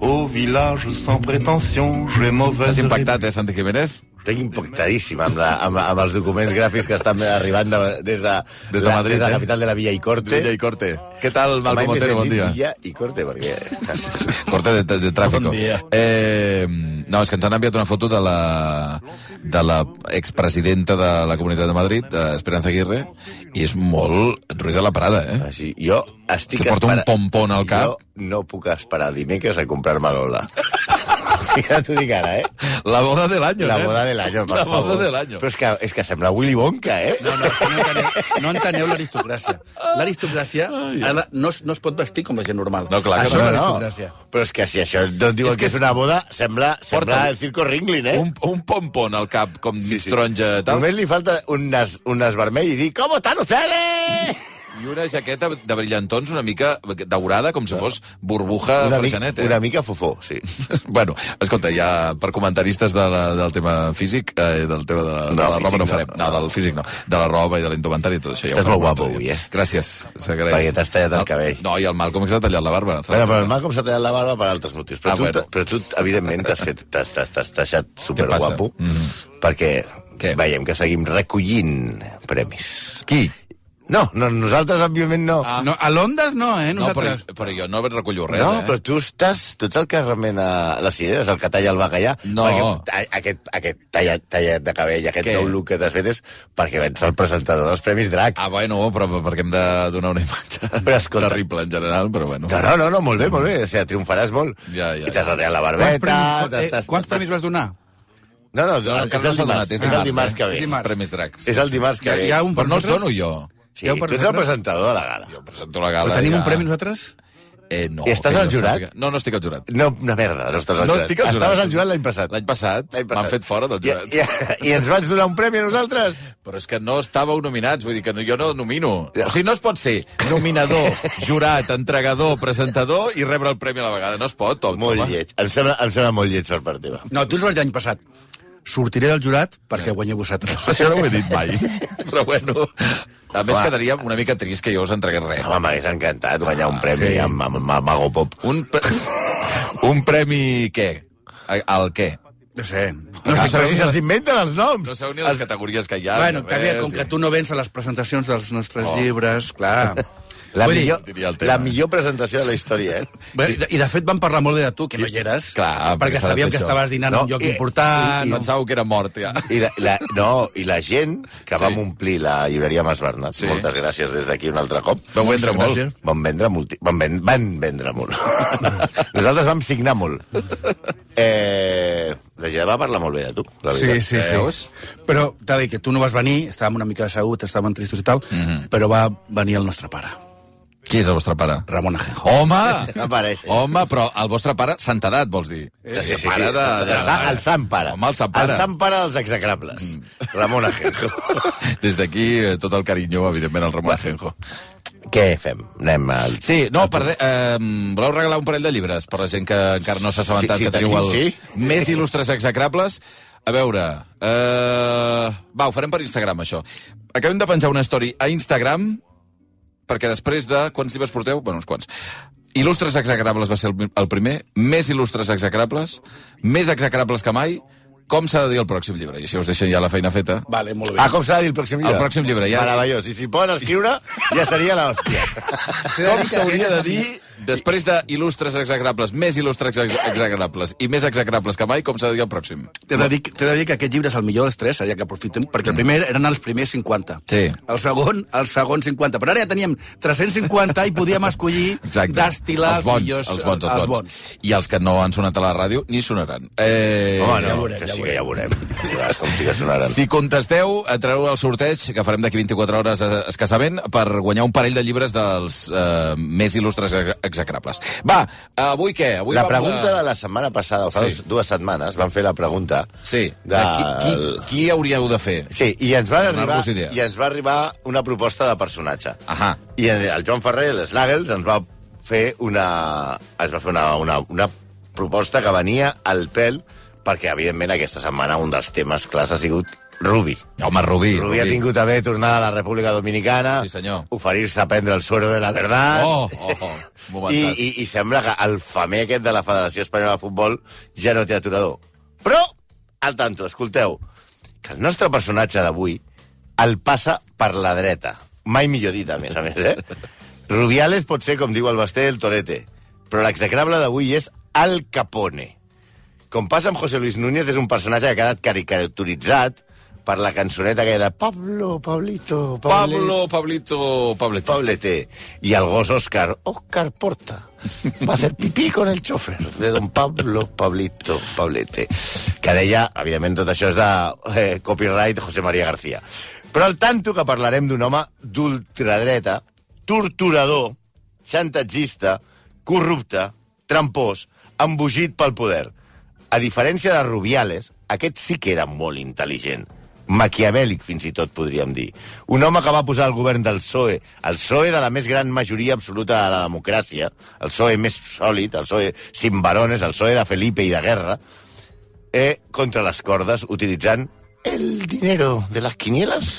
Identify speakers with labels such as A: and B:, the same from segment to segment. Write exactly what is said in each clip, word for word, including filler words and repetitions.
A: Au village sans prétention, j'ai mauvaise...
B: T'has impactat, eh, Santi Jiménez?
C: Estic impactadíssim amb, la, amb, amb els documents gràfics que estan arribant de, des, de,
B: des de Madrid,
C: des de la
B: eh?
C: capital de la Villa i Corte.
B: Villa i Corte. Què tal, Malcom Otero? Bon dia.
C: Villa i Corte, perquè...
B: Corte de, de, de tràfico.
C: Bon dia.
B: Eh, no, és que ens han enviat una foto de la, de la expresidenta de la Comunitat de Madrid, Esperanza Aguirre, i és molt Ruiz de la Prada, eh?
C: Ah, sí. Jo estic
B: que porta
C: espera...
B: un pompon al cap.
C: Jo no puc esperar dimecres a comprar-me l'Ola. Ja t'ho dic ara, eh?
B: La boda de l'any,
C: La
B: eh?
C: boda de l'any, per
B: La
C: favor.
B: boda de l'any.
C: Però és que, és que sembla Willy Wonka, eh?
D: No, no, no enteneu, no enteneu l'aristocràcia. L'aristocràcia no, no es pot vestir com la gent normal.
B: No, clar que
D: això
C: no,
D: és
C: no.
D: l'aristocràcia.
C: Però és que si això no et diuen
B: És
C: que,
B: que
C: és una boda, sembla, sembla
B: Porta
C: el Circo Ringlin, eh?
B: Un, un pompon al cap, com sí, sí. taronja, tal.
C: Només li falta un nas, un nas vermell i dir «¿Cómo están ustedes?»
B: I una jaqueta de brillantons una mica daurada, com si fos burbuja
C: una, mica,
B: Freixanet, eh?
C: una mica fofó, sí.
B: Bueno, escolta, ja per comentaristes de la, del tema físic, eh, del tema de la,
C: No,
B: de la roba
C: físic
B: no
C: no.
B: farem. No, del físic no. De la roba i de l'indumentari i tot això. Ja
C: Estàs
B: ho farem
C: molt guapo
B: un altre
C: avui,
B: dia.
C: eh?
B: Gràcies, s'agraeix.
C: Perquè t'has tallat el cabell.
B: No, i el Malcom que s'ha tallat la barba.
C: Bueno, però el Malcom s'ha tallat la barba per altres motius. Però,
B: Ah,
C: tu,
B: bueno.
C: però tu, evidentment, t'has fet, t'has, t'has, t'has deixat superguapo,
B: Què passa? Mm-hmm.
C: perquè
B: Què?
C: veiem que seguim recollint premis.
B: Qui?
C: No, no, nosaltres, òbviament, no.
B: Ah.
D: No, a l'Ondes no, eh,
B: No, però,
D: nosaltres.
B: però jo no recullo res,
C: No,
B: eh?
C: però tu estàs... Tu ets el que remena les cireres, el que talla el bacallà.
B: No.
C: Perquè a- aquest, aquest tallat, tallat de cabell, aquest
B: Què?
C: nou look que t'has fet és perquè vens el presentador dels Premis Drac.
B: Ah, bueno, però perquè hem de donar una imatge
C: Però escolta-
B: terrible en general, però bueno.
C: No, no, no, no, molt bé, molt bé. O sigui, triomfaràs molt.
B: Ja, ja,
C: I t'has
B: ja.
C: retallat la
D: Quants
C: barbeta...
D: premis, eh,
C: t'has-
D: quants
C: t'has-
D: premis vas donar?
C: No, no,
B: No,
C: és
B: encara no
C: el
B: s'ha
C: dimarts,
B: donat, és
C: és el dimarts
B: dimarts,
C: que ve.
B: eh?
D: Dimarts.
B: Premis Dracs.
C: És el dimarts que
D: Hi ha,
C: ve.
D: hi ha un per
B: Però no els
D: nosaltres?
B: dono jo.
C: Sí,
D: Hi ha un
C: tu
D: per
C: ets el
D: nosaltres?
C: presentador de la gala.
B: Jo presento la gala.
D: Però tenim
B: ja.
D: un premi nosaltres?
B: Eh, no.
C: I estàs
B: que
C: al
B: jo
C: jurat?
B: sàpiga. No, no estic al jurat.
C: No, una merda, no estàs al
B: No
C: jurat.
B: estic al jurat.
C: Estaves al jurat l'any passat.
B: L'any passat
C: L'any passat.
B: m'han fet fora del jurat.
C: I, i, I ens vaig donar un premi a nosaltres?
B: Però és que no estàveu nominats, vull dir que no, jo no nomino. O sigui, no es pot ser nominador, jurat, entregador, presentador i rebre el premi a la vegada. No es pot, home.
C: Molt lleig. Em sembla, em sembla molt lleig per part teva.
D: No, tu ens vas dir l'any passat. Sortiré del jurat perquè guanyeu vosaltres.
B: Això no ho he dit mai. Però bueno, a més
C: Home.
B: quedaria una mica trist que jo us entregués res.
C: Home, m'hagués encantat guanyar un premi
D: sí.
C: amb, amb, amb Mago Pop.
B: Un, pre... un premi què? Al què?
D: No sé.
C: No,
B: Ah,
C: si, però si se'ls inventen els noms.
B: No sabeu ni les categories que hi ha.
D: Bueno,
B: ni
D: que bé,
B: res,
D: com
B: i-
D: que tu no vens a les presentacions dels nostres llibres, clar.
C: La
D: Vull dir,
C: millor,
B: diria el tema.
C: la millor presentació de la història, eh?
D: Bé, I, de, I de fet vam parlar molt bé de tu, que no hi eres.
B: Clar, perquè
D: perquè
B: s'ha de
D: sabíem
B: fer
D: que
B: això.
D: estaves dinant
C: No,
D: en un lloc
C: i-
D: important.
C: i-
D: no?
B: Pensàveu que era mort, ja.
C: I la, la, no, i la gent que
B: Sí.
C: vam omplir la llibreria Mas Bernat,
B: Sí.
C: moltes gràcies des d'aquí un altre cop.
B: Vau vendre molt.
D: Gràcies.
C: Van vendre molt. Van, ven, van vendre molt. Nosaltres vam signar molt. Eh, la gent va parlar molt bé de tu, la
D: Sí,
C: veritat.
D: sí, sí.
B: Veus?
D: Però t'ha dit que tu no vas venir, estàvem una mica asseguts, estàvem tristos i tal,
B: Mhm.
D: però va venir el nostre pare,
B: Qui és el vostre pare?
D: Ramon Ajenjo.
B: Home!
C: No apareix.
B: Home, però el vostre pare, santedat, vols dir?
C: Sí, sí, sí,
B: pare
C: sí,
B: de, de,
C: el, sa- el sant pare.
B: Home, el sant pare.
C: El sant pare dels execrables. Mm. Ramon Ajenjo.
B: Des d'aquí, eh, tot el carinyo, evidentment, al Ramon Ajenjo.
C: Què fem? Anem al...
B: Sí, no, per de, eh, voleu regalar un parell de llibres per la gent que encara no s'ha assabentat
C: Sí, sí,
B: que teniu el
C: tenim, sí.
B: més il·lustres execrables? A veure... Eh, va, ho farem per Instagram, això. Acabem de penjar una story a Instagram perquè després de... Quants llibres porteu? Bueno, uns quants. Il·lustres execrables va ser el, el primer, més il·lustres execrables, més execrables que mai. Com s'ha de dir el pròxim llibre? I així us deixen ja la feina feta.
D: Vale, molt bé.
C: Ah, com s'ha de dir el pròxim llibre?
B: El pròxim llibre, ja.
C: Meravellós. I si poden escriure, ja seria l'hòstia.
B: Com s'hauria de dir, després de il·lustres execrables, més il·lustres ex- execrables i més execrables que mai, com s'ha de dir el pròxim?
D: T'he de, dir, t'he de dir que aquest llibre és el millor dels tres, seria que aprofitem, perquè el primer eren els primers cinquanta.
B: Sí.
D: El segon, el segon cinquanta. Però ara ja teníem tres-cents cinquanta i podíem escollir
B: Exacte.
D: destil·lar
B: els bons,
D: millors...
B: els bons, els,
D: els
B: bons.
D: bons.
B: I els que no han sonat a la ràdio ni sonaran. Eh...
C: Home, no,
D: ja veurem,
C: que
D: ja
C: sí que ja veurem. Veuràs com sí que sonaran.
B: Si contesteu, entrareu al sorteig, que farem d'aquí vint-i-quatre hores eh, escassament, per guanyar un parell de llibres dels eh, més il·lustres ex- execrables. Va, avui què? Avui
C: La
B: vam
C: pregunta de la setmana passada, o fa
B: Sí.
C: sí. dues setmanes, van fer la pregunta...
B: Sí,
C: de...
B: de qui, qui, qui hauríeu de fer?
C: Sí, i ens, va arribar,
B: Donar-vos idea.
C: i ens va arribar una proposta de personatge.
B: Ahà.
C: I el Joan Ferrer, l'Snaggles, ens va fer una... Es va fer una, una, una proposta que venia al pèl perquè, evidentment, aquesta setmana un dels temes clars ha sigut Rubi.
B: Home, Rubí.
C: Rubí ha tingut a bé tornar a la República Dominicana,
B: Sí, senyor.
C: oferir-se a prendre el suero de la verdad,
B: Oh, oh, oh.
C: i,
B: Momentàs.
C: i, i sembla que el famer aquest de la Federació Espanyola de Futbol ja no té aturador. Però, al tanto, escolteu, que el nostre personatge d'avui el passa per la dreta. Mai millor dit, a més a més, eh? Rubiales pot ser, com diu el Basté, el torete, però l'execrable d'avui és Al Capone. Com passa amb José Luis Núñez, és un personatge que ha quedat caricaturitzat per la cançoneta que de Pablo, Pablito, Pablo,
B: Pablo, Pablito, Pablete.
C: Pablete. I el gos Òscar, Òscar Porta, va a hacer pipí con el chofer de don Pablo, Pablito, Pablete. Que deia, evidentment, tot això és de eh, copyright José María García. Però al tanto que parlarem d'un home d'ultradreta, torturador, xantatgista, corrupte, trampós, embogit pel poder. A diferència de Rubiales, aquest sí que era molt intel·ligent. Maquiavèlic, fins i tot, podríem dir. Un home que va posar el govern del P S O E, el P S O E de la més gran majoria absoluta de la democràcia, el P S O E més sòlid, el P S O E sin varones, el P S O E de Felipe i de Guerra, eh, contra les cordes, utilitzant el dinero de les quinieles,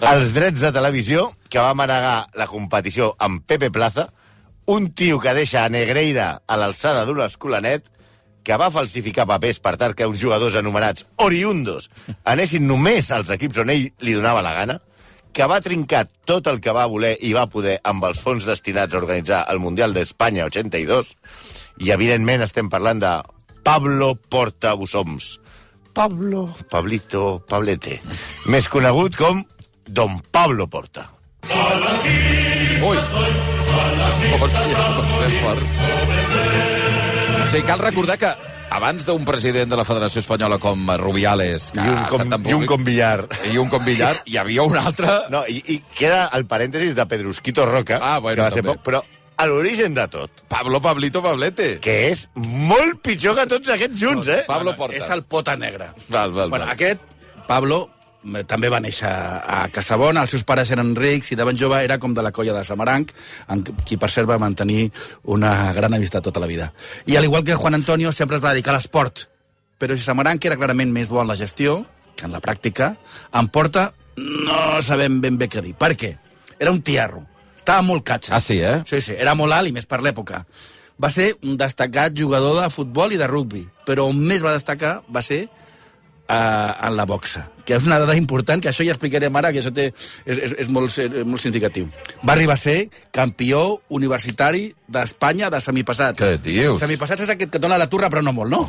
C: els drets de televisió, que va manegar la competició amb Pepe Plaza, un tio que deixa a Negreira a l'alçada d'un escolanet, que va falsificar papers per tal que uns jugadors anomenats oriundos anessin només als equips on ell li donava la gana, que va trincar tot el que va voler i va poder amb els fons destinats a organitzar el Mundial d'Espanya ochenta i dos, i evidentment estem parlant de Pablo Porta Busoms. Pablo, Pablito, Pablete, més conegut com Don Pablo Porta.
B: Ui! Hòstia, com ser forts. O sigui, cal recordar que abans d'un president de la Federació Espanyola com Rubiales, que
C: I un
B: ha
C: com,
B: estat tan
C: i un
B: públic,
C: com Villar.
B: i un com Villar, hi havia un altre...
C: No, i, i queda el parèntesis de Pedrusquito Roca,
B: Ah, bueno,
C: que va ser
B: també.
C: poc, però a l'origen de tot,
B: Pablo, Pablito, Pablete.
C: que és molt pitjor que tots aquests junts, eh?
B: Pablo Porta.
D: És el pota negre.
B: Val, val,
D: bueno,
B: val.
D: aquest, Pablo, eh, també va néixer a Casabona, els seus pares eren rics i de ben jove era com de la colla de Samaranc, amb qui per cert va mantenir una gran amistat tota la vida. I al igual que Juan Antonio sempre es va dedicar a l'esport, però si Samaranc era clarament més bo en la gestió que en la pràctica, en Porta no sabem ben bé què dir. Per què? Era un tiarro. Estava molt catxa.
B: Ah, sí, eh?
D: Sí, sí, era molt alt i més per l'època. Va ser un destacat jugador de futbol i de rugbi, però on més va destacar va ser uh, en la boxa, que és una dada important, que això ja explicarem ara, que això té, és, és, és, molt, és molt significatiu. Va arribar a ser campió universitari d'Espanya de semipassats.
B: Què dius?
D: Semipassats és aquest que dona la turra, però no molt, no?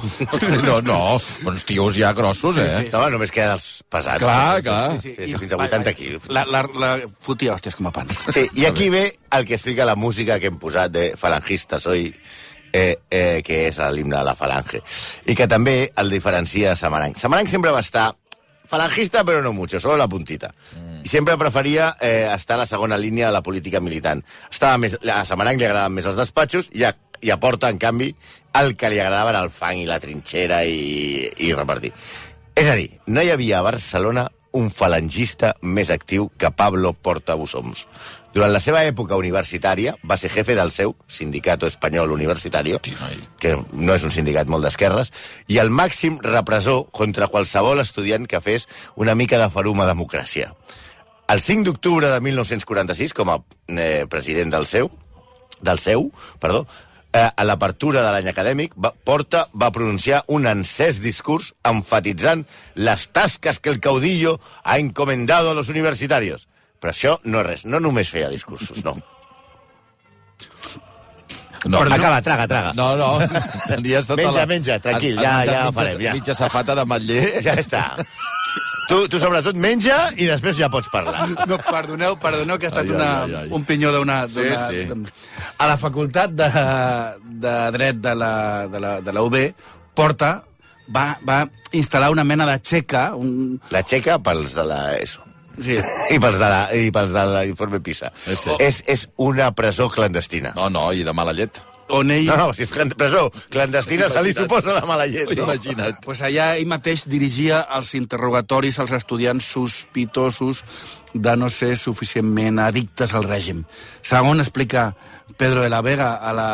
B: No, no, uns tios ja grossos, eh?
C: No, només queden els pesats.
B: Clar, clar.
C: Sí, sí, sí, fins a vuitanta quilos.
D: La, la, la fotia hòsties com a pans.
C: Sí, i aquí ve el que explica la música que hem posat de Falangista Soy, eh, eh, que és l'himne de la Falange, i que també el diferencia de Samaranc. Samaranc sempre va estar falangista, però no mucho, solo la puntita. Mm. I sempre preferia eh, estar a la segona línia de la política militant. Estava més, a Samaranc li agradaven més els despatxos i a, i a Porta, en canvi, el que li agradava era el fang i la trinxera i, i repartir. És a dir, no hi havia a Barcelona un falangista més actiu que Pablo Porta Busoms. Durant la seva època universitària va ser jefe del seu Sindicato Espanyol Universitario, que no és un sindicat molt d'esquerres, i el màxim repressor contra qualsevol estudiant que fes una mica de farum a democràcia. El cinc d'octubre de mil nou-cents quaranta-sis, com a eh, president del seu, del seu, perdó, eh, a l'apertura de l'any acadèmic, va, Porta va pronunciar un encès discurs enfatitzant les tasques que el caudillo ha encomendado a los universitarios. Però això no és res, no només feia discursos, no.
B: No,
C: Acaba, traga, traga.
B: No, no. Tenies tota
C: Menja,
B: la...
C: menja, tranquil,
B: has- has
C: ja-
B: menjat
C: ja
B: mitja-
C: farem, ja.
B: Mitja safata d'ametller.
C: Ja està. Tu, tu sobretot menja i després ja pots parlar.
D: No, perdoneu, perdoneu que ha estat
B: Ai, ai,
D: una,
B: ai, ai.
D: un pinyó d'una...
B: Sí,
D: d'una-
B: sí.
D: de- A la facultat de, de dret de la, de la, de la U B, Porta va, va instal·lar una mena de xeca, un,
C: La xeca pels de la ESO.
D: sí,
C: I pels de la, i pels de l'informe PISA.
B: Sí, sí.
C: És, és una presó clandestina.
B: No, no, i de mala llet.
D: on ell...
C: No, no, si és clan- presó clandestina se li
B: Imagina't.
C: suposa la mala llet. No?
B: Imagina't.
D: Pues allà ell mateix dirigia els interrogatoris als estudiants sospitosos de no ser suficientment addictes al règim. Segon, explica Pedro de la Vega a la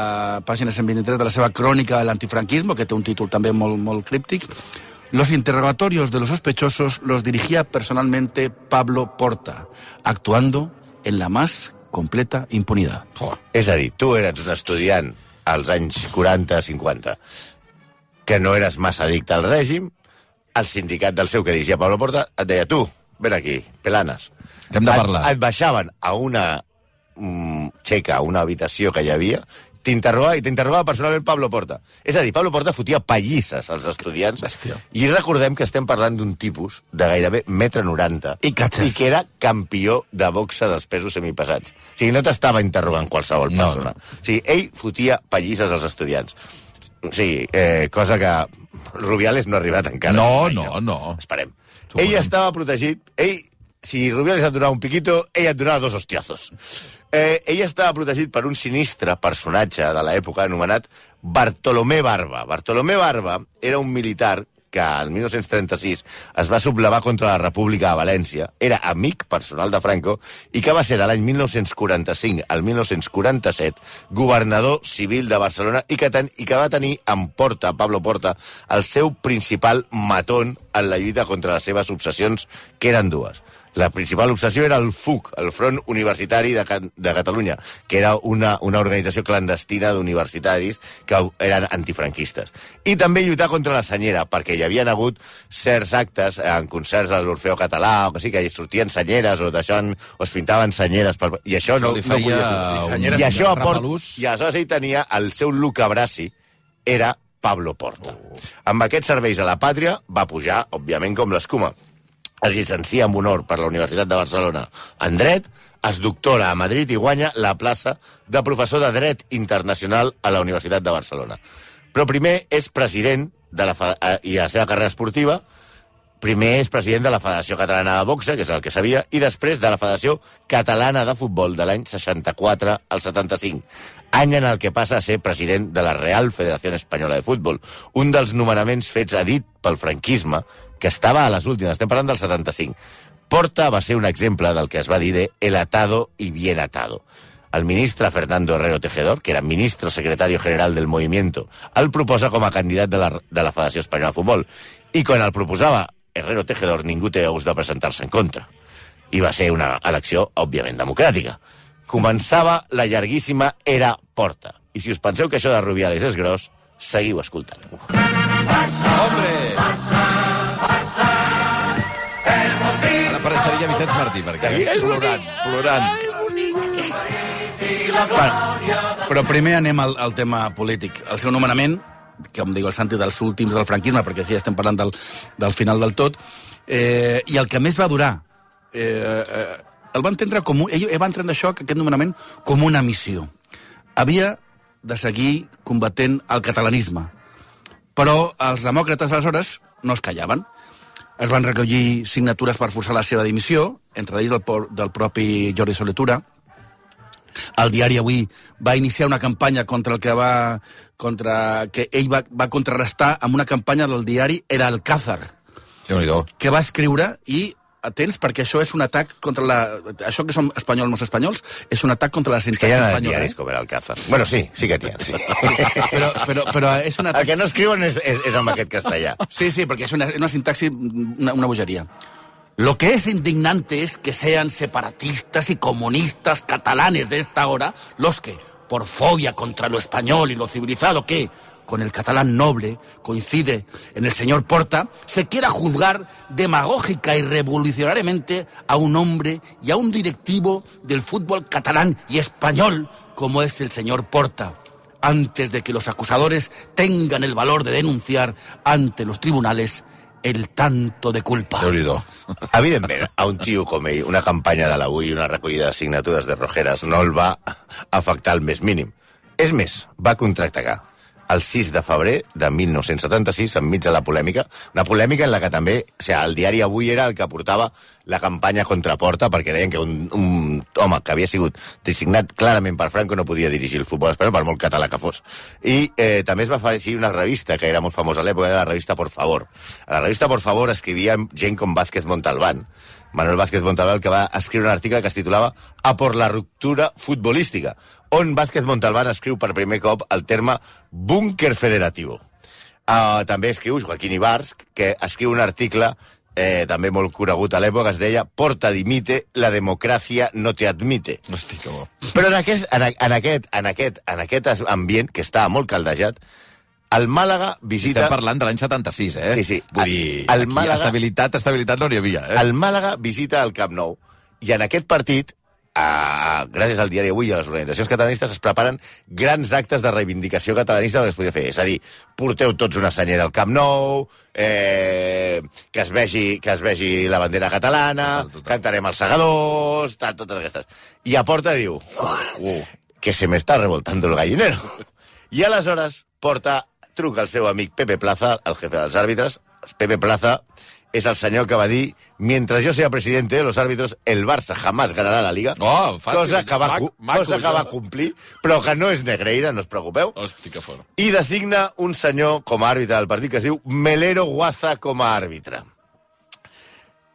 D: pàgina cent vint-i-tres de la seva crònica de l'antifranquisme, que té un títol també molt, molt críptic, Los interrogatorios de los sospechosos los dirigía personalmente Pablo Porta, actuando en la más completa impunidad.
C: Oh. És a dir, tu eres un estudiant als anys quaranta cinquanta que no eres massa addicte al règim, el sindicat del seu que dirigia Pablo Porta et deia, tu, ven aquí, pelanes.
B: Hem de parlar.
C: Et, et baixaven a una mm, xeca, a una habitació que hi havia, t'interrogava i t'interrogava personalment Pablo Porta. És a dir, Pablo Porta fotia pallisses als estudiants.
B: Bèstia.
C: I recordem que estem parlant d'un tipus de gairebé metre noranta
D: I catxes.
C: i que era campió de boxa dels pesos semipesats. O sigui, no t'estava interrogant qualsevol
B: No,
C: persona.
B: no.
C: O sigui, ell fotia pallisses als estudiants. O sigui, eh, cosa que Rubiales no ha arribat encara.
B: No,
C: Mai,
B: no, no.
C: Esperem.
B: T'ho
C: Ell
B: veurem.
C: estava protegit. Ell, si Rubiales et donava un piquito, ell et donava dos hostiazos. Eh, ell estava protegit per un sinistre personatge de l'època anomenat Bartolomé Barba. Bartolomé Barba era un militar que el mil nou-cents trenta-sis es va sublevar contra la República de València, era amic personal de Franco i que va ser de l'any mil nou-cents quaranta-cinc al mil nou-cents quaranta-set governador civil de Barcelona i que, ten, i que va tenir en Porta, Pablo Porta, el seu principal matón en la lluita contra les seves obsessions, que eren dues. La principal obsessió era el F U C, el Front Universitari de, de Catalunya, que era una, una organització clandestina d'universitaris que eren antifranquistes. I també lluitar contra la senyera, perquè hi havien hagut certs actes en concerts a l'Orfeó Català, o que sí, que hi sortien senyeres o deixaven, o es pintaven senyeres, per, i això,
B: Això
C: no,
B: li
C: no
B: feia
C: podia
B: un
C: I això a Port,
B: repelús.
C: i aleshores ell tenia el seu Luca Brasi, era Pablo Porta. Oh. Amb aquests serveis a la pàtria va pujar, òbviament, com l'escuma. Es llicencia amb honor per la Universitat de Barcelona en Dret, es doctora a Madrid i guanya la plaça de professor de Dret Internacional a la Universitat de Barcelona. Però primer és president de la, i a la seva carrera esportiva, primer és president de la Federació Catalana de Boxa, que és el que sabia, i després de la Federació Catalana de Futbol de l'any seixanta-quatre al setanta-cinc, any en el que passa a ser president de la Real Federació Espanyola de Futbol, un dels nomenaments fets a dit pel franquisme, que estava a les últimes, estem parlant del setanta-cinc. Porta va ser un exemple del que es va dir de el atado y bien atado. El ministre Fernando Herrero Tejedor, que era ministro secretario general del movimiento, el proposa com a candidat de la, de la Federació Espanyola de Futbol. I quan el proposava Herrero Tejedor, ningú té ous de presentar-se en contra. I va ser una elecció, òbviament, democràtica. Començava la llarguíssima era Porta. I si us penseu que això de Rubiales és gros, seguiu escoltant. Uf.
B: Hombre! Ara apareixeria Vicenç Martí, perquè
C: És
B: plorant, plorant.
D: Bueno, però primer anem al, al tema polític. El seu nomenament, que em diu el Santi dels últims del franquisme, perquè aquí ja estem parlant del, del final del tot, eh, i el que més va durar, eh, eh, el va entendre com un, ell va entendre això, aquest nomenament, com una missió. Havia de seguir combatent el catalanisme, però els demòcrates aleshores no es callaven. Es van recollir signatures per forçar la seva dimissió, entre ells del, del propi Jordi Soletura. El diari Avui va iniciar una campanya contra el que va contra que ell va, va contrarrestar amb una campanya del diari El Alcázar, que va escriure, i atents, perquè això és un atac contra la... Això que som espanyols, no espanyols, és un atac contra la
C: És que
D: sintaxi
C: hi ha
D: espanyola.
C: diaris com el Alcázar. Bueno, sí, sí que n'hi ha, sí.
D: Però, però, però és un
C: El
D: atac...
C: que no escriuen és, és, és amb aquest castellà.
D: Sí, sí, porque es una, una sintaxis, una, una bullería. Lo que es indignante es que sean separatistas y comunistas catalanes de esta hora los que, por fobia contra lo español y lo civilizado que, con el catalán noble, coincide en el señor Porta, se quiera juzgar demagógica y revolucionariamente a un hombre y a un directivo del fútbol catalán y español como es el señor Porta, antes de que los acusadores tengan el valor de denunciar ante los tribunales el tanto de culpa.
B: Déu-n'hi-do.
C: Evidentment, a un tio com ell, una campanya de l'Avui i una recollida de signatures de Rojeres no el va afectar el més mínim. És més, va contraatacar el sis de febrer de mil nou-cents setanta-sis, enmig de la polèmica, una polèmica en la que també, o sigui, el diari Avui era el que portava la campanya contra Porta, perquè deien que un, un home que havia sigut designat clarament per Franco no podia dirigir el futbol espanyol, per molt català que fos. I eh, també es va afegir una revista que era molt famosa a l'època, era la revista Por Favor. A la revista Por Favor escrivia gent com Vázquez Montalbán, Manuel Vázquez Montalbán, que va escriure un article que es titulava A por la ruptura futbolística, on Vázquez Montalbán escriu per primer cop el terme búnquer federativo. Uh, també escriu Joaquín Ibars, que escriu un article eh, també molt conegut a l'època, es deia Porta dimite, la democràcia no te admite.
B: Hosti, que bo.
C: Però en aquest, en, en, aquest, en, aquest, en aquest ambient, que estava molt caldejat, el Màlaga visita...
B: Estem parlant de l'any setanta-sis, eh?
C: Sí, sí.
B: Vull dir,
C: el
B: aquí
C: Màlaga...
B: estabilitat, estabilitat no n'hi havia, eh?
C: El Màlaga visita el Camp Nou, i en aquest partit, a, gràcies al diari Avui i a les organitzacions catalanistes, es preparen grans actes de reivindicació catalanista que es podia fer. És a dir, porteu tots una senyera al Camp Nou, eh, que, es vegi, que es vegi la bandera catalana, total, total. Cantarem els segadors, tal, totes aquestes. I a Porta diu, uh, que se me está revoltando el gallinero. I aleshores Porta truca al seu amic Pepe Plaza, el jefe dels àrbitres. Pepe Plaza és el senyor que va dir mientras yo sea presidente de los árbitros, el Barça jamás ganarà la Liga.
B: Oh, fàcil.
C: Cosa que va,
B: Mac, mac,
C: cosa que va complir, però que no és Negreira, no us preocupeu.
B: Hosti, que fora.
C: I designa un senyor com a àrbitre del partit que es diu Melero Guaza com a àrbitre.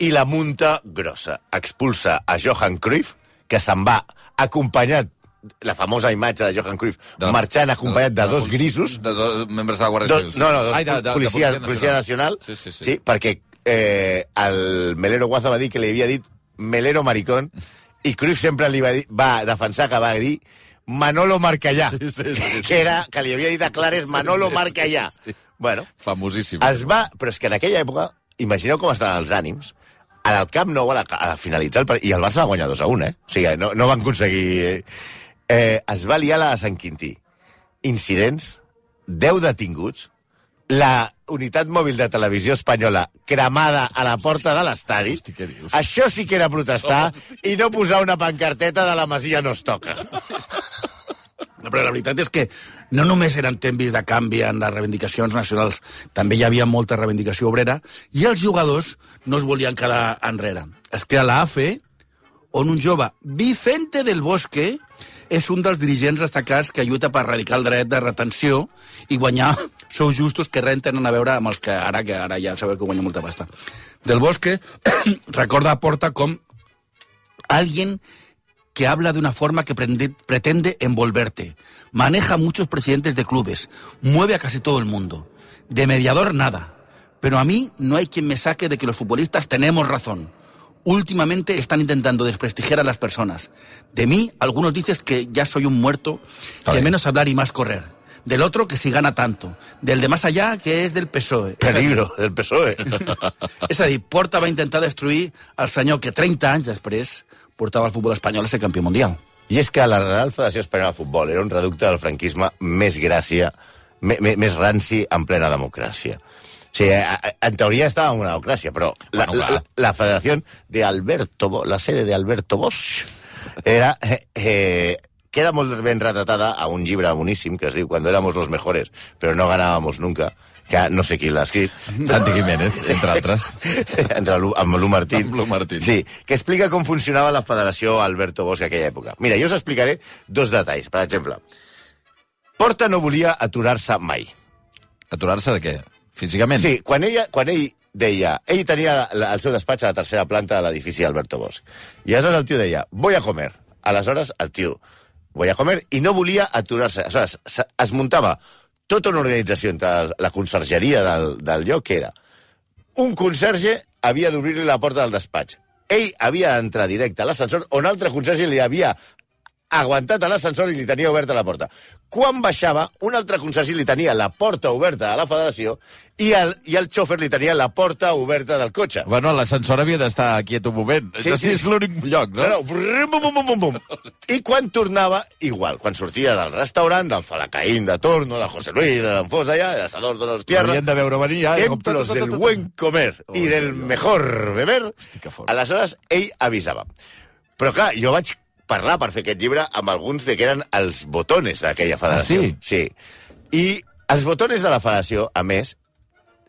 C: I la munta grossa. Expulsa a Johan Cruyff, que se'n va acompanyat, la famosa imatge de Johan Cruyff,
B: de,
C: marxant acompanyat de, de, de dos grisos.
B: De dos membres de la Guàrdia Civil.
C: Do, no, no, dos
B: Ai, de, de,
C: policia,
B: de
C: policia nacional.
B: Sí, sí, sí.
C: Sí, perquè eh, el Melero Guaza va dir que li havia dit Melero maricón, i Cruyff sempre li va, dir, va defensar que va dir Manolo Marcallà,
B: sí, sí, sí, sí.
C: que, era, que li havia dit a Clares Manolo
B: sí, sí,
C: Marcallà.
B: sí, sí.
C: Bueno,
B: famosíssim.
C: Es va, però és que en aquella època, imagineu com estaven els ànims, al Camp Nou, a, la, a finalitzar el partit, i el Barça va guanyar dos a un, eh? O sigui, no, no van aconseguir... Eh, eh, es va liar la de Sant Quintí. Incidents, deu detinguts, la unitat mòbil de televisió espanyola cremada a la porta de l'estadi. Això sí que era protestar oh. i no posar una pancarteta de la Masia no es toca.
D: No, però la veritat és que no només eren temps de canvi en les reivindicacions nacionals, també hi havia molta reivindicació obrera, i els jugadors no es volien quedar enrere. Es crea la A F E, on un jove, Vicente del Bosque, és un dels dirigents destacats que lluita per erradicar el dret de retenció i guanyar sous justos que res tenen a veure amb els que ara, que ara ja sabeu que guanya molta pasta. Del Bosque recorda a Porta com alguien que habla de una forma que pretende envolverte. Maneja a muchos presidentes de clubes, mueve a casi todo el mundo. De mediador, nada. Pero a mí no hay quien me saque de que los futbolistas tenemos razón. Últimamente están intentando desprestigiar a las personas. De mí, algunos dicen que ya soy un muerto, que menos hablar y más correr. Del otro, que si gana tanto. Del de más allá, que és del P S O E.
C: Peligro, del P S O E.
D: És a dir, Porta va intentar destruir el senyor que trenta anys després portava el futbol espanyol a ser campió mundial.
C: I és que la Real Federació Espanyola de Futbol era un reducte del franquisme més gràcia, més ranci en plena democràcia. O sigui, en teoria estava en una democràcia, però la, bueno, la, la federació de Alberto, la sede de Alberto Bosch, era, eh, eh, queda molt ben retratada a un llibre boníssim que es diu Cuando éramos los mejores, però no ganábamos nunca, que no sé qui l'ha escrit.
B: Santi Jiménez, entre altres.
C: Entre amb Lu Martín.
B: Amb Lu Martín.
C: Sí, que explica com funcionava la federació Alberto Bosch en aquella època. Mira, jo us explicaré dos detalls. Per exemple, Porta no volia aturar-se mai.
B: Aturar-se de què? Físicament?
C: Sí, quan, ella, quan ell deia... Ell tenia el seu despatx a la tercera planta de l'edifici Alberto Bosch. I aleshores el tio deia, voy a comer. Aleshores el tio, voy a comer, i no volia aturar-se. Aleshores es muntava tota una organització entre la consergeria del, del lloc, que era un conserge havia d'obrir-li la porta del despatx. Ell havia d'entrar directe a l'ascensor, on altre conserge li havia aguantat a l'ascensor i li tenia oberta la porta. Quan baixava, un altre consergi li tenia la porta oberta a la federació i el, i el xòfer li tenia la porta oberta del cotxe.
B: Bueno, l'ascensor havia d'estar quiet un moment.
C: Sí,
B: sí,
C: sí,
B: és l'únic lloc, no?
C: No, no, brum, bum, bum, bum, bum. I quan tornava, igual. Quan sortia del restaurant, del Falacaín de Torno, del José Luis, de l'Enfós d'allà, de Sador de los Tierra...
B: Havien de veure venir ja.
C: Templos del buen comer i del mejor beber. Aleshores, ell avisava. Però clar, jo vaig parlar per fer aquest llibre amb alguns de que eren els botones d'aquella federació.
B: Ah, sí?
C: Sí. I els botones de la federació, a més,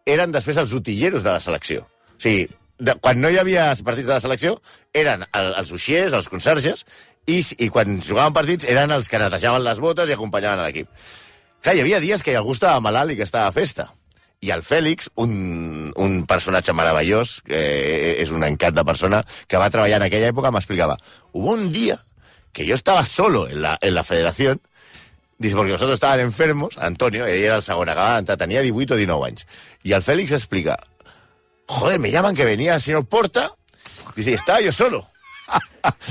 C: eren després els utilleros de la selecció. O sigui, de, quan no hi havia partits de la selecció, eren el, els uixiers, els conserges, i, i quan jugaven partits eren els que netejaven les botes i acompanyaven l'equip. Clar, hi havia dies que algú estava malalt i que estava a festa. I el Fèlix, un, un personatge meravellós, que és un encat de persona, que va treballar en aquella època, m'explicava, hubo un dia que yo estaba solo en la, en la federación Dice, porque nosotros estaban enfermos, Antonio, ell era el segon, acabava d'entrar, tenia divuit o dinou anys. Y el Félix explica, joder, me llaman que venía el señor Porta, dice, estaba yo solo.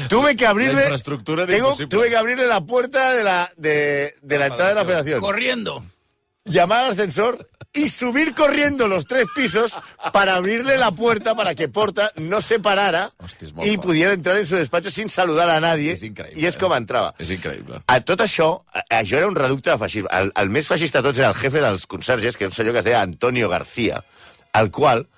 C: Tuve que abrirle...
B: La infraestructura era
C: tengo,
B: imposible.
C: Tuve que abrirle la puerta de la, de, de la entrada de la federación.
D: Corriendo.
C: Llamar al ascensor y subir corriendo los tres pisos para abrirle la puerta para que Porta no se parara
B: Hòstia, és molt
C: i
B: fort.
C: pudiera entrar en su despacho sin saludar a nadie.
B: És increïble,
C: I és com
B: eh?
C: entrava.
B: És increïble.
C: A tot això, a- això era un reducte de feixisme. El, el més feixista de tots era el jefe dels conserges, que era un senyor que es deia Antonio García, el qual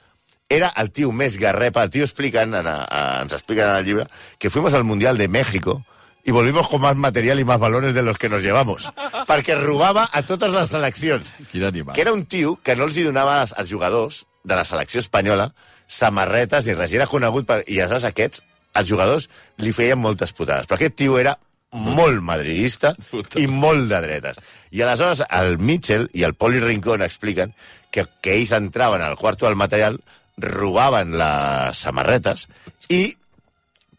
C: era el tio més garrepa. El tio expliquen, en, a, a, ens expliquen en el llibre, que fuimos al Mundial de México y volvimos con más material y más balones de los que nos llevamos. Perquè robava a totes les seleccions.
B: Quin animal.
C: Que era un tio que no els hi donava als, als jugadors de la selecció espanyola samarretes ni res. I era conegut per... I aleshores aquests, els jugadors, li feien moltes putades. Però aquest tio era molt madridista i molt de dretes. I aleshores el Mitchell i el Poli Rincón expliquen que, que ells entraven al quarto del material, robaven les samarretes i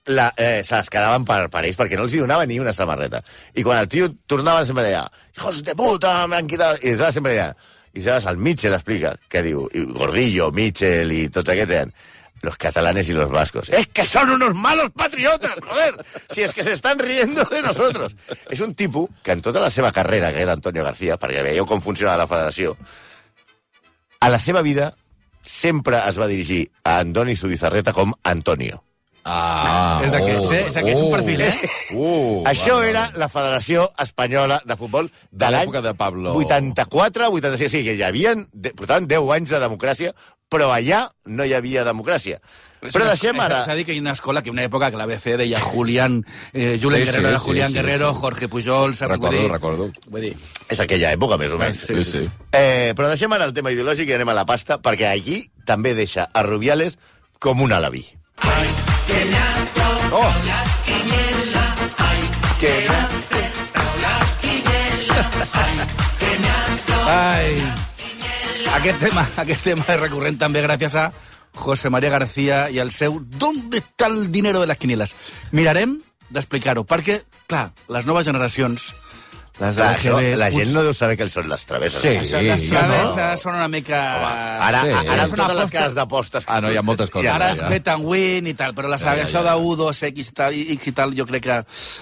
C: la, eh, se les quedaven per, per ells perquè no els hi donava ni una samarreta. I quan el tio tornava sempre deia hijos de puta, me han quitado... I aleshores sempre deia... I aleshores el Mitchell explica, que diu, i Gordillo, Mitchell i tots aquests deien los catalanes y los vascos. ¡Es que son unos malos patriotas, joder! Si es que se están riendo de nosotros. És un tipus que en tota la seva carrera, que era Antonio García, perquè veieu com funcionava la federació, a la seva vida sempre es va dirigir a Andoni Zubizarreta com Antonio.
B: Ah,
D: És d'aquests, eh? És d'aquests un perfil, eh?
B: Uh,
C: Això
B: va,
C: era
B: va.
C: la Federació Espanyola de Futbol de,
B: De
C: l'any
B: l'època de Pablo.
C: vuitanta-quatre vuitanta-sis. Sí, que hi havia, portaven deu anys de democràcia, però allà no hi havia democràcia. Però deixem ara...
D: S'ha dit que hi ha una escola, que hi ha una època que la B C deia Julián, eh, Julen
B: Sí, sí,
D: Guerrero era
B: sí,
D: Julián
B: sí,
D: Guerrero,
B: sí.
D: Jorge Pujol, saps?
B: Recordo,
D: Vull dir,
B: recordo.
D: Vull dir,
C: És aquella època, més o menys.
B: Sí, sí.
C: Eh, però deixem ara el tema ideològic i anem a la pasta, perquè aquí també deixa a Rubiales com un alabí. Oh! Que
D: ai, aquest tema, aquest tema és recurrent també gràcies a José María García i el seu ¿Dónde está el dinero de las quinielas? Mirarem d'explicar-ho, perquè, clar, les noves generacions, les de
C: Clar, això,
D: l'A G B...
C: la gent no deu saber que són les travesses.
B: Sí.
D: Això, les
B: Sí,
D: travesses són una mica...
C: Home, ara,
B: Sí.
C: ara amb
D: És una
C: totes les
D: aposta-
C: cases d'apostes...
B: Ah, no, hi ha moltes coses.
C: Ja,
D: Ara
B: ja,
D: és
B: ja.
D: bet and win i tal, però la
B: Ja, ja,
D: això
B: ja.
D: de u, dos, X i tal, X i tal, jo crec que...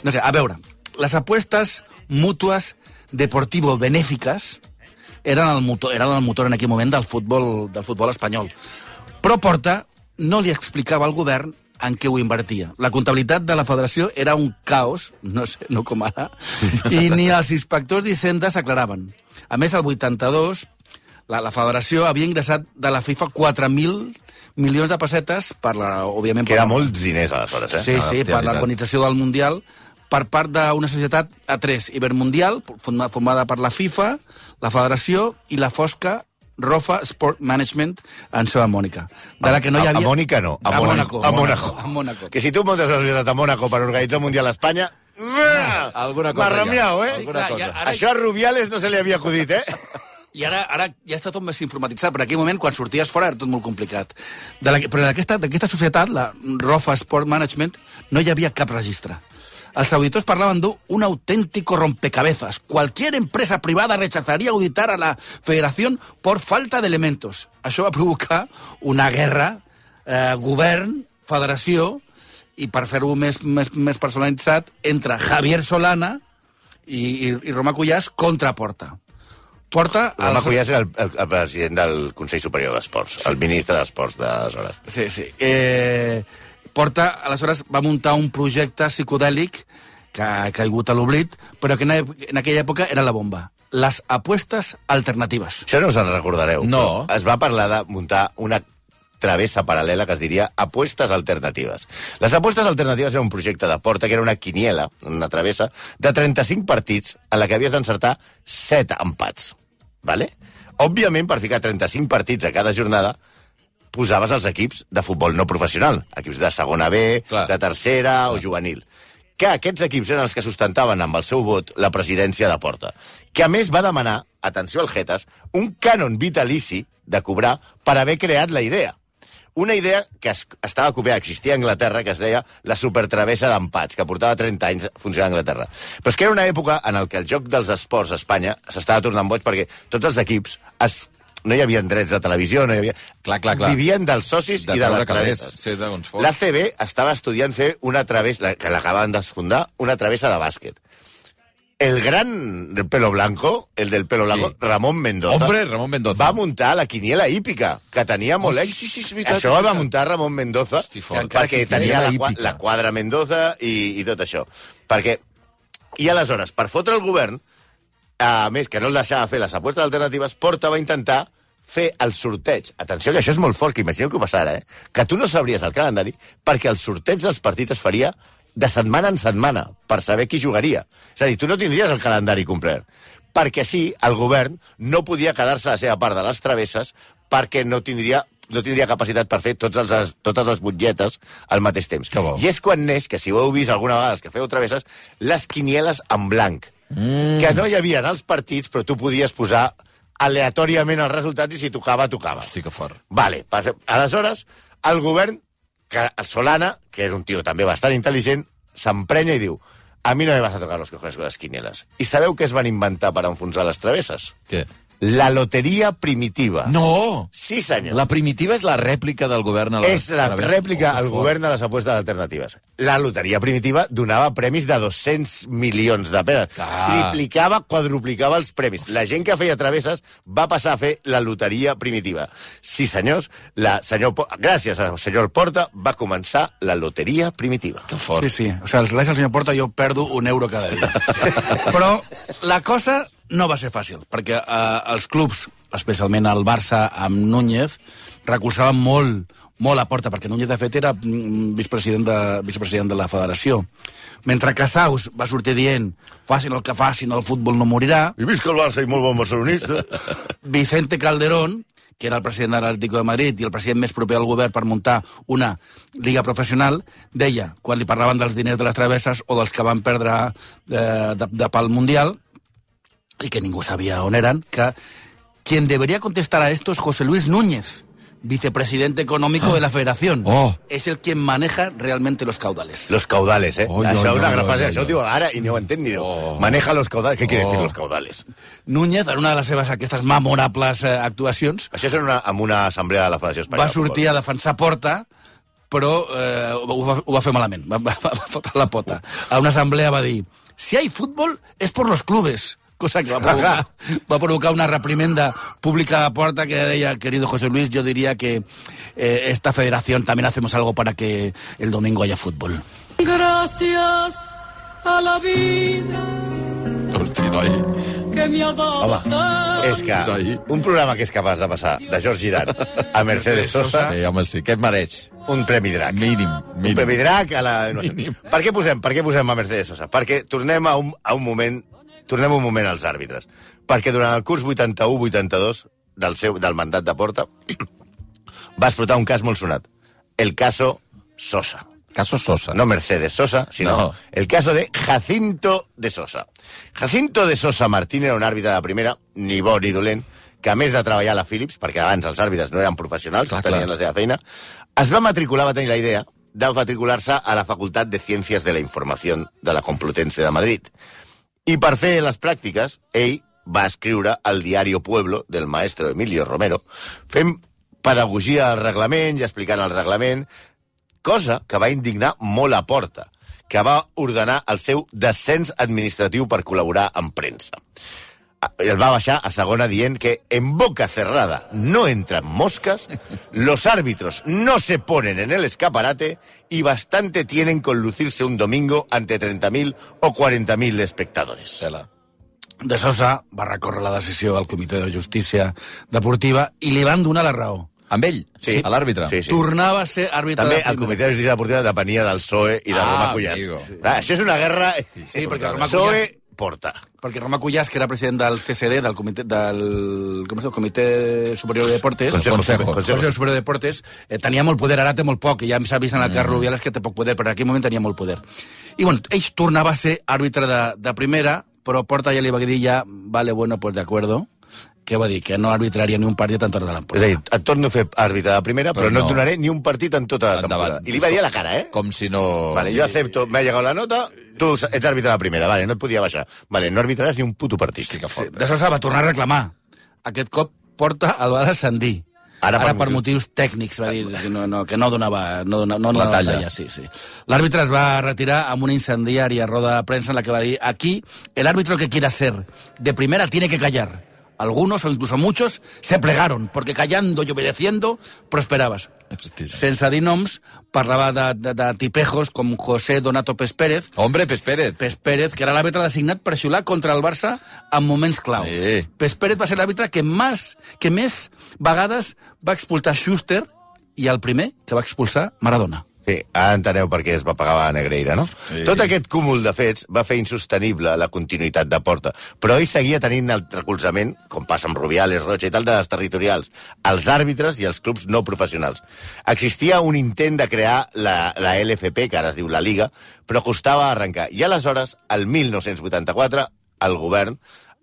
D: No sé, a veure, les apuestes mútues deportivo benèfiques eren el motor, eren el motor en aquell moment del futbol, del futbol espanyol. Però Porta no li explicava al govern en què ho invertia. La comptabilitat de la federació era un caos, no sé, no com ara, i ni els inspectors d'Hisenda s'aclaraven. A més, el vuitanta-dos, la, la federació havia ingressat de la FIFA quatre mil milions de pessetes per la, òbviament...
C: Que
D: per
C: era
D: la-
C: molts diners, aleshores, eh?
D: Sí,
B: Ah,
D: sí,
B: hòstia,
D: per
B: i tant.
D: l'organització del Mundial, per part d'una societat A tres, Ibermundial, forma- formada per la FIFA, la Federació i la Fosca Rofa Sport Management en seva Mònica. De la que no hi
C: A-
D: havia...
C: A Mònica no, a,
D: A
C: Mónaco.
D: Mónaco.
C: A Mónaco.
D: A Mónaco.
C: Que si tu muntes una societat a Mónaco per organitzar un Mundial a Espanya... Ah,
B: alguna cosa
C: Marramiao,
B: hi ha.
C: eh?
B: Alguna
D: clar,
B: cosa.
D: ja- ara-
C: Això a Rubiales no se li havia acudit, eh?
D: I ara, ara ja està tot més informatitzat, però en aquell moment, quan sorties fora, era tot molt complicat. De la, però d'aquesta d'aquesta societat, la Rofa Sport Management, no hi havia cap registre. Els auditors parlaven d'un auténtico rompecabezas. Cualquier empresa privada rechazaría auditar a la federación por falta de elementos. Això va provocar una guerra, eh, govern, federació, i per fer-ho més, més, més personalitzat, entre Javier Solana i, i, i Roma Cuyàs contra Porta. Porta...
C: Roma
D: els-
C: Cuyàs era el, el, el president del Consell Superior d'Esports, el ministre d'Esports d'aleshores.
D: Sí, sí. Eh, Porta, aleshores, va muntar un projecte psicodèlic que ha caigut a l'oblit, però que en, en aquella època era la bomba. Les apuestes alternatives.
C: Això no us en recordareu.
B: No.
C: però Es va parlar de muntar una travessa paral·lela que es diria apuestes alternatives. Les apuestes alternatives era un projecte de Porta que era una quiniela, una travessa, de trenta-cinc partits en la que havies d'encertar set empats. Vale? Òbviament, per ficar trenta-cinc partits a cada jornada, posaves els equips de futbol no professional, equips de segona B,
B: Clar.
C: de tercera o juvenil. Que aquests equips eren els que sustentaven amb el seu vot la presidència de Porta, que a més va demanar, atenció al Jetas, un cànon vitalici de cobrar per haver creat la idea. una idea que es, estava copiada, existia a Anglaterra, que es deia la supertravessa d'empats, que portava trenta anys funcionant a Anglaterra. Però és que era una època en el que el joc dels esports a Espanya s'estava tornant boig perquè tots els equips es, no hi havia drets de televisió, no hi havia...
B: Clar, clar, clar.
C: Vivien dels socis
B: de
C: i de les
B: calés,
C: travesses.
B: sí, d'on fos.
C: L'A C B estava estudiant fer una travessa, que l'acabaven de fundar, una travessa de bàsquet. El gran del pelo blanco, el del pelo blanco,
B: Sí.
C: Ramon Mendoza,
B: Hombre, Ramon Mendoza.
C: va muntar la quiniela hípica, que tenia molt
B: Oh,
C: èxit.
B: sí, sí, sí, és veritat,
C: Això
B: és
C: va
B: veritat.
C: muntar Ramon Mendoza,
B: Hosti, fort.
C: perquè tenia la, qua-
B: hípica.
C: la quadra Mendoza i, i tot això. Perquè, i aleshores, per fotre el govern, a més que no el deixava fer les apostes alternatives, Porta va intentar fer el sorteig. Atenció, que això és molt fort, que imagineu què passarà, eh? Que tu no sabries el calendari, perquè el sorteig dels partits es faria de setmana en setmana, per saber qui jugaria. És a dir, tu no tindries el calendari complet. Perquè així, el govern no podia quedar-se a la seva part de les travesses perquè no tindria no tindria capacitat per fer tots els, totes les butlletes al mateix temps.
B: Que bo.
C: I és quan neix, que si ho heu vist alguna vegada els que feu travesses, les quinieles en blanc. Mm. Que no hi havia els partits, però tu podies posar aleatòriament els resultats i si tocava, tocava.
B: Hosti, que fort.
C: Vale, perfecte. Aleshores, el govern, que el Solana, que és un tio també bastant intel·ligent, s'emprenya i diu: a mi no me vas a tocar los cojones con las quinielas. I sabeu què es van inventar per enfonsar les travesses?
B: Què?
C: La loteria primitiva.
B: No!
C: Sí, senyor.
B: La primitiva és la rèplica del govern a les
C: És la
B: travesses.
C: rèplica
B: Oh, que
C: al
B: fort.
C: govern de les apostes alternatives. La loteria primitiva donava premis de dos-cents milions de penes.
B: Ah.
C: Triplicava, quadruplicava els premis. La gent que feia travesses va passar a fer la loteria primitiva. Sí, senyors, la senyor, Po- gràcies al senyor Porta va començar la loteria primitiva.
B: Que fort.
D: Sí, sí. O sigui, gràcies al senyor Porta jo perdo un euro cada dia. Però la cosa no va ser fàcil, perquè eh, els clubs, especialment el Barça amb Núñez, recolzaven molt, molt a Porta, perquè Núñez, de fet, era mm, vicepresident de, vicepresident de la federació. Mentre Casaus va sortir dient facin el que facin, el futbol no morirà,
C: I visca el Barça i molt bon barcelonista.
D: Vicente Calderón, que era el president de l'Atlético de Madrid i el president més proper al govern per muntar una lliga professional, deia, quan li parlaven dels diners de les travesses o dels que van perdre eh, de, de pel Mundial, y que ningú sabia on eren, que quien debería contestar a esto es José Luis Núñez, vicepresidente económico de la Federación.
B: Oh.
D: Es el quien maneja realmente los caudales.
C: Los caudales, eh?
B: Oi,
C: Això
B: oi,
C: és una
B: oi,
C: gran
B: oi,
C: frase.
B: oi,
C: Això ho
B: oi.
C: diu ara i no ho entenc ni diu.
B: Oh.
C: Maneja los caudales. Què quiere
B: Oh.
C: decir los caudales?
D: Núñez, en una de les seves aquestes memorables eh, actuacions,
C: Això és en una, en una assemblea de la Federació Espanyola.
D: va sortir a defensar Porta, però eh, ho, va, ho va fer malament, va, va, va fotre la pota. A una assemblea va dir, si hay fútbol es por los clubes, cosa que va provocar, va provocar una reprimenda pública a Porta que deia, querido José Luis, yo diría que eh, esta federación también hacemos algo para que el domingo haya fútbol.
E: Gracias a la vida
B: Hosti, noi.
E: que me ha dado
C: Home, és que un programa que és capaç de passar de George Girard a Mercedes Sosa,
B: Sí, home, sí. Què et mereix?
C: un premi drac.
B: Mínim,
C: Un
B: mínim.
C: premi drac a la... No sé.
B: Mínim.
C: Per què posem, per què posem a Mercedes Sosa? Perquè tornem a un, a un moment tornem un moment als àrbitres. Perquè durant el curs vuitanta-u vuitanta-dos del, seu, del mandat de Porta va explotar un cas molt sonat. El caso Sosa.
B: Caso Sosa.
C: No Mercedes Sosa, sino
B: No.
C: el caso de Jacinto de Sosa. Jacinto de Sosa Martín era un àrbitre de primera, ni bo ni dolent, que a més de treballar a la Philips, perquè abans els àrbitres no eren professionals,
B: Clar,
C: tenien
B: clar.
C: la seva feina, es va matricular, va tenir la idea de matricular-se a la Facultat de Ciències de la Informació de la Complutense de Madrid. I per fer les pràctiques, ell va escriure al Diario Pueblo del maestro Emilio Romero, fent pedagogia al reglament i explicant el reglament, cosa que va indignar molt a Porta, que va ordenar el seu descens administratiu per col·laborar amb premsa. El va baixar a segona dient que en boca cerrada no entran moscas, los árbitros no se ponen en el escaparate y bastante tienen con lucirse un domingo ante treinta mil o quaranta mil espectadores.
B: Tela.
D: De Sosa va recórrer la decisió al Comitè de Justícia Deportiva i li van donar la raó.
B: Amb ell?
C: Sí.
B: A l'àrbitre?
C: Sí, sí.
D: Tornava a ser àrbitre
C: També
D: de
C: el
D: primera.
C: Comitè de Justícia Deportiva depenia del P S O E i de
B: Ah,
C: Roma Cuyàs.
B: amigo.
C: Clar, això és una guerra...
D: Sí, perquè Roma
C: P S O E Porta.
D: Perquè Roma Cuyàs, que era president del C C D, del Comitè, del com es diu? Comitè Superior de Deportes,
C: Consejo,
B: Consejo.
C: Consejo.
D: Consejo Superior de Deportes, eh, tenia molt poder, ara té molt poc, i ja s'ha vist en el cas mm. Rubiales que té poc poder, però en aquell moment tenia molt poder. I bueno, ell tornava a ser àrbitre de, de primera, però Porta ja li va dir ja, vale, bueno, pues de acuerdo, què va dir? Que no arbitraria ni un partit en tota la
C: És a
D: temporada.
C: dir, et torno a fer àrbitre de primera, però,
B: Però
C: no
B: no.
C: et donaré ni un partit en tota la
B: Endavant.
C: temporada. I li va dir a la cara, eh?
B: Com si no...
C: Vale, jo acepto, m'ha llegat la nota, tu ets àrbitre de la primera, vale, no et podia baixar. Vale, no arbitraràs ni un puto partit.
B: Hosti, que
D: Sí,
B: fort.
D: d'això s'ha va tornar a reclamar. Aquest cop Porta el va descendir.
C: Ara
D: Ara,
C: per
D: per motius tècnics, va dir que no, no, que no donava, no donava, no donava
B: talla.
D: talla. Sí, sí. L'àrbitre es va retirar amb una incendiària roda de premsa en la que va dir: aquí, el árbitro que quiera ser de primera tiene que callar. Algunos, o incluso muchos, se plegaron, porque callando y obedeciendo prosperabas.
B: Hosti.
D: Sense dir noms, parlava de, de, de tipejos com José Donato Pes Pérez,
B: Hombre, Pes Pérez.
D: Pes Pérez, que era l'àrbitre designat per xiular contra el Barça en moments clau.
B: Sí.
D: Pes Pérez va ser l'àrbitre que, més, que més vegades va expulsar Schuster i el primer que va expulsar Maradona.
C: Sí, ara enteneu per què es va pagar a Negreira, no?
B: Sí.
C: Tot aquest cúmul de fets va fer insostenible la continuïtat de Porta, però ell seguia tenint el recolzament, com passa amb Rubiales, Rocha i tal, de les territorials, els àrbitres i els clubs no professionals. Existia un intent de crear la, la L F P, que ara es diu la Liga, però costava arrencar. I aleshores, el mil nou-cents vuitanta-quatre, el govern,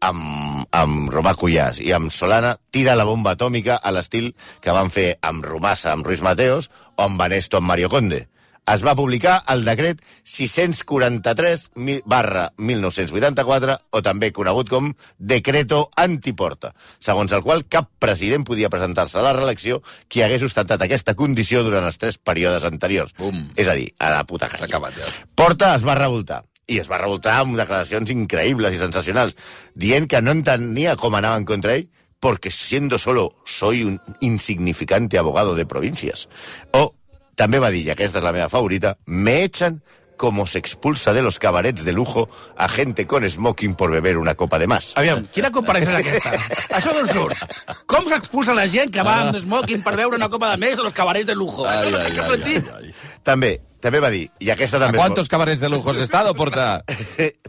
C: amb, amb Romà Cuyàs i amb Solana, tira la bomba atòmica a l'estil que van fer amb Romassa, amb Ruiz Mateos, o amb Banesto, amb Mario Conde. Es va publicar el decret sis-cents quaranta-tres barra mil nou-cents vuitanta-quatre, o també conegut com Decreto Antiporta, segons el qual cap president podia presentar-se a la reelecció qui hagués ostentat aquesta condició durant els tres períodes anteriors.
B: Bum.
C: És a dir, a la puta
B: S'ha
C: calle.
B: acabat, ja.
C: Porta es va revoltar. I es va revoltar amb declaracions increïbles i sensacionals, dient que no entenia com anaven contra ell, porque siendo solo soy un insignificante abogado de provincias. O també va dir, i aquesta és la meva favorita, me echan como se expulsa de los cabarets de lujo a gente con smoking por beber una copa de más.
D: Aviam, quina comparació és aquesta? Això d'on surt? Com s'expulsa la gent que va amb smoking per veure una copa de més a los cabarets de lujo?
B: Ai,
D: Això no
B: ai,
D: té cap
B: ai,
D: sentit.
B: ai, ai.
C: També, també va dir, i aquesta
B: ¿A
C: també...
B: cuántos cabarets de lujo has estado, Porta?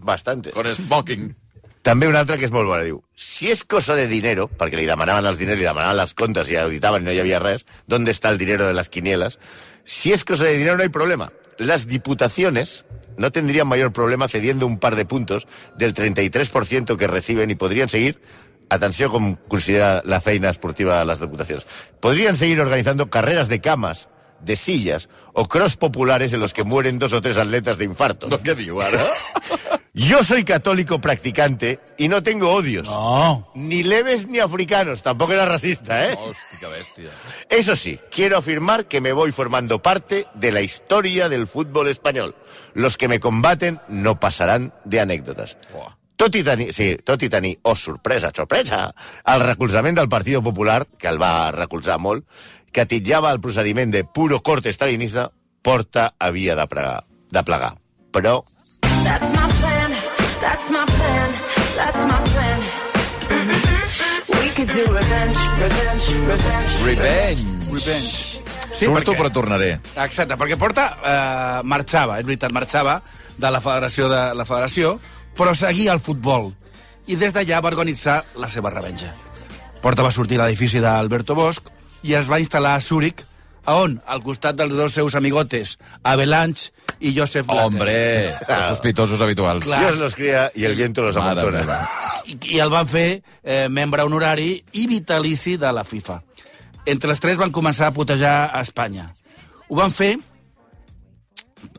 C: Bastante.
B: Con smoking.
C: També una altra que és molt bona, diu, si és cosa de dinero, perquè li demanaven els diners, li demanaven les comptes i auditaven i no hi havia res, ¿dónde está el dinero de las quinielas? Si es cosa de dinero no hay problema. Las diputaciones no tendrían mayor problema cediendo un par de puntos del treinta y tres por ciento que reciben y podrían seguir, atenció com considera la feina esportiva de las diputaciones, podrían seguir organizando carreras de camas, de sillas o cross populares en los que mueren dos o tres atletas de infarto.
B: No, què diu, ara?
C: Yo soy católico practicante y no tengo odios.
D: No.
C: Ni leves ni africanos. Tampoco era racista, ¿eh?
B: Hosti, que bèstia.
C: Eso sí, quiero afirmar que me voy formando parte de la historia del fútbol español. Los que me combaten no pasarán de anécdotas.
B: Buah.
C: Tot i tenir, sí, tot i tenir, oh, sorpresa, sorpresa, el recolzament del Partit Popular, que el va recolzar molt, que titllava el procediment de puro corte stalinista, Porta havia de, pregar, de plegar. Però
F: That's my plan, that's my plan, that's my plan. Mm-hmm. We could do revenge, revenge, revenge.
B: Revenge.
D: Revenge. Sí,
B: Surto,
D: perquè-
B: però tornaré.
D: Exacte, perquè Porta eh, marxava, és veritat, marxava de la federació, de la federació, però seguia el futbol. I des d'allà va organitzar la seva revenja. Porta va sortir a l'edifici d'Alberto Bosch i es va instal·lar a Zúrich, a on? Al costat dels dos seus amigotes, Avalanche i Joseph Blatter.
B: Hombre, els sospitosos habituals.
D: Clar.
C: Dios los cría y el viento los
B: Mare
C: amontona.
B: meva.
D: I, i el van fer eh, membre honorari i vitalici de la FIFA. Entre els tres van començar a putejar a Espanya. Ho van fer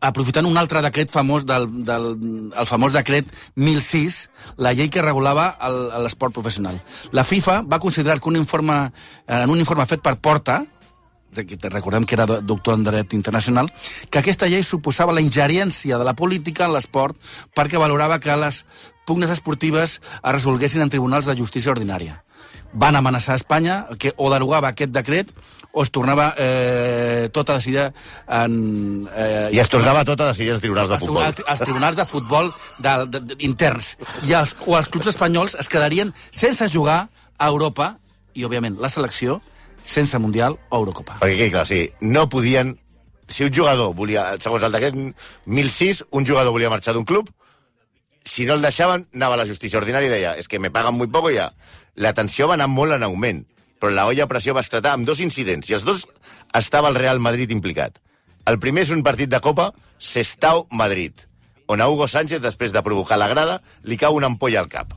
D: aprofitant un altre decret famós del, del el famós decret mil sis, la llei que regulava el- l'esport professional. La FIFA va considerar que un informe, en un informe fet per Porta, de- que recordem que era do- doctor en dret internacional, que aquesta llei suposava la ingerència de la política en l'esport perquè valorava que les pugnes esportives es resolguessin en tribunals de justícia ordinària. Van amenaçar a Espanya que o derogava aquest decret o es tornava eh, tot a decidir en... Eh,
C: I es tornava tot a decidir els tribunals de
D: als
C: futbol.
D: tribunals, als tribunals de futbol de, de, de, interns. I els, o els clubs espanyols es quedarien sense jugar a Europa i, òbviament, la selecció sense Mundial o Eurocopa.
C: Perquè, que, clar, sí, no podien... Si un jugador volia, segons el decret mil sis, un jugador volia marxar d'un club, si no el deixaven, anava a la justícia ordinària i deia, és es que me paguen muy poco ja. La tensió va anar molt en augment, però la olla a pressió va esclatar amb dos incidents, i els dos estava el Real Madrid implicat. El primer és un partit de Copa, Sestao-Madrid, on a Hugo Sánchez, després de provocar la grada, li cau una ampolla al cap.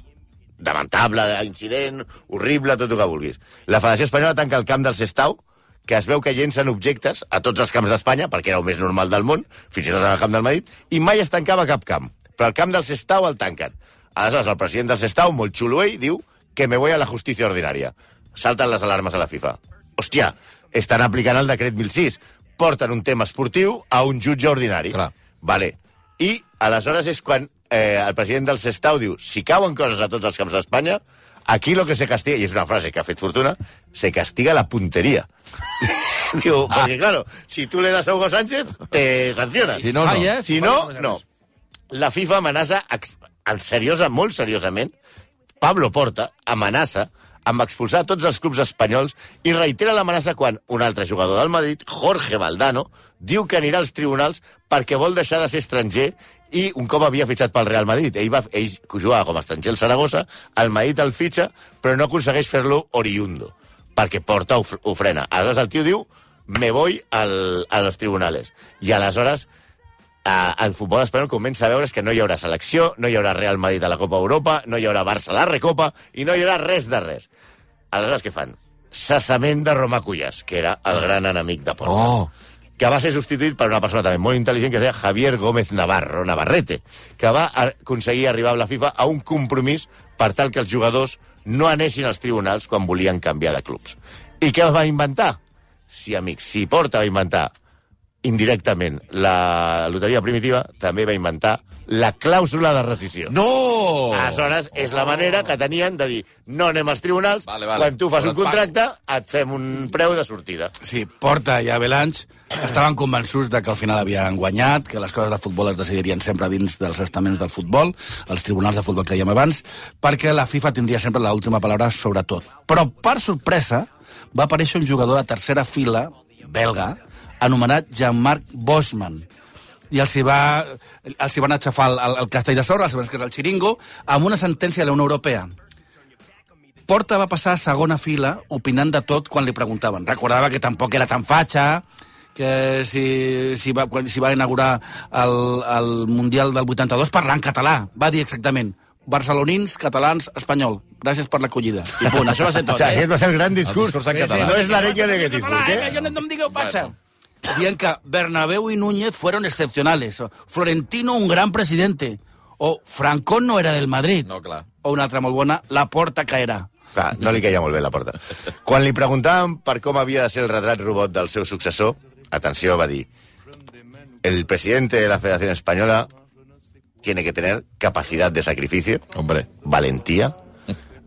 C: lamentable, incident, horrible, tot el que vulguis. La Federació Espanyola tanca el camp del Sestao, que es veu que llencen objectes a tots els camps d'Espanya, perquè era el més normal del món, fins i tot en el camp del Madrid, i mai es tancava cap camp. Però el camp del Sestao el tanquen. Aleshores, el president del Sestao, molt xulo ell, diu que me voy a la justícia ordinària. Salten les alarmes a la FIFA. Hòstia, estan aplicant el decret mil sis. Porten un tema esportiu a un jutge ordinari.
B: Clar.
C: Vale. I aleshores és quan eh, el president del Sestao diu si cauen coses a tots els camps d'Espanya, aquí lo que se castiga, i és una frase que ha fet fortuna, se castiga la punteria. Diu, ah. perquè claro, si tu le das a Hugo Sánchez, te sanciones.
B: Si no, no.
D: Falla,
C: Si no, no. La FIFA amenaça, en seriosa, molt seriosament, Pablo Porta amenaça amb expulsar tots els clubs espanyols i reitera l'amenaça quan un altre jugador del Madrid, Jorge Valdano, diu que anirà als tribunals perquè vol deixar de ser estranger i un cop havia fitxat pel Real Madrid. Ell, va, ell jugava com a estranger al Saragossa, el Madrid el fitxa, però no aconsegueix fer-lo oriundo, perquè Porta ho, ho frena. Aleshores el tio diu, me voy al, a los tribunales. I aleshores Uh, el futbol espanyol comença a veure que no hi haurà selecció, no hi haurà Real Madrid a la Copa Europa, no hi haurà Barça a la Recopa i no hi haurà res de res. Aleshores, què fan? Cessament de Romà Cuyàs, que era el gran enemic de Porta.
B: Oh.
C: Que va ser substituït per una persona també molt intel·ligent que es deia Javier Gómez Navarro, Navarrete, que va aconseguir arribar amb la FIFA a un compromís per tal que els jugadors no anessin als tribunals quan volien canviar de clubs. I què va inventar? Sí, amics, si Porta va inventar indirectament la loteria primitiva, també va inventar la clàusula de rescisió.
B: No!
C: Aleshores, és la manera que tenien de dir no anem als tribunals,
B: vale, vale.
C: quan tu fas
B: Però
C: un contracte, et fem un preu de sortida.
D: Sí, Porta i Avalanche estaven convençuts de que al final havien guanyat, que les coses de futbol es decidirien sempre dins dels estaments del futbol, els tribunals de futbol que dèiem abans, perquè la FIFA tindria sempre l'última paraula sobre tot. Però, per sorpresa, va aparèixer un jugador de tercera fila, belga, anomenat Jean-Marc Bosman. I els hi, va, els hi van aixafar el, el, el castell de sorra, els que és el xiringo, amb una sentència de la Unió Europea. Porta va passar a segona fila opinant de tot quan li preguntaven. Recordava que tampoc era tan fatxa, que si, si, va, quan, si va inaugurar el, el Mundial del vuitanta-dos parlant català. Va dir exactament barcelonins, catalans, espanyol. Gràcies per l'acollida. I punt, això va ser tot.
C: O sigui,
D: eh?
C: aquest va ser el gran discurs.
B: El discurs en català.
C: No és l'arenga de Gettysburg,
D: Eh,
C: eh?
D: jo no, no em digueu fatxa. Dient que Bernabéu y Núñez fueron excepcionales. O Florentino, un gran presidente. O Franco no era del Madrid.
B: No, clar.
D: O una altra molt bona, la Porta caerà.
C: Clar, no li caia molt bé la Porta. Quan li preguntaven per com havia de ser el retrat robot del seu successor, atenció, va dir, el presidente de la Federación Española tiene que tener capacidad de sacrificio,
B: Hombre.
C: valentía,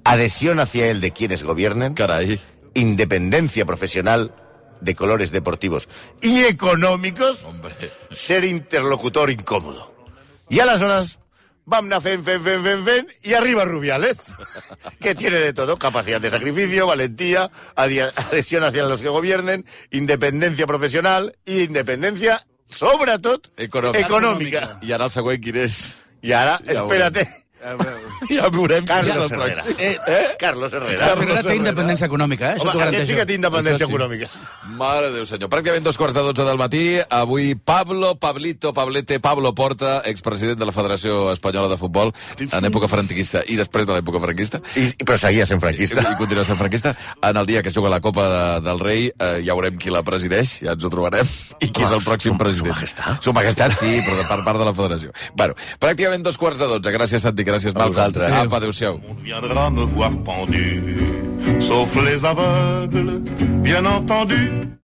C: adhesión hacia él de quienes gobiernen,
B: Carai.
C: independencia profesional de colores deportivos y económicos,
B: Hombre.
C: ser interlocutor incómodo. I aleshores vam anar fent, fent, fent, fent, fent, i arriba Rubiales, que tiene de todo, capacidad de sacrificio, valentía, adhesión hacia los que gobiernen, independencia profesional i independencia, sobretot,
B: Econòmica.
C: econòmica.
B: I ara el següent quin és?
C: I ara,
B: Ja
C: espérate,
B: Ja veurem.
C: Carlos
B: quin és el
C: Herrera.
B: pròxim.
C: Eh? eh? Carlos Herrera.
D: Carlos Herrera té independència econòmica, eh? Això
C: Home,
D: t'ho
C: aquest
D: garanteixo.
C: sí que té independència
B: Això sí.
C: econòmica.
B: Mare de Déu, senyor. Pràcticament dos quarts de dotze del matí. Avui Pablo, Pablito, Pablete, Pablo Porta, expresident de la Federació Espanyola de Futbol, en època franquista i després de l'època franquista.
C: I, però seguia sent
B: I,
C: franquista.
B: i continua sent franquista. En el dia que es juga la Copa de, del Rei, eh, ja veurem qui la presideix, ja ens ho trobarem, i qui és el pròxim president.
C: Su Majestat.
B: Su Majestat, sí, però de per part de la Federació. Bueno, pràcticament dos quarts de dotze. Gràcies, Santi, gràcies, Malcom.
C: vosaltres.
B: Apa, adéu-siau.
A: On viendra me voir pendu, sauf les aveugles, bien entendu.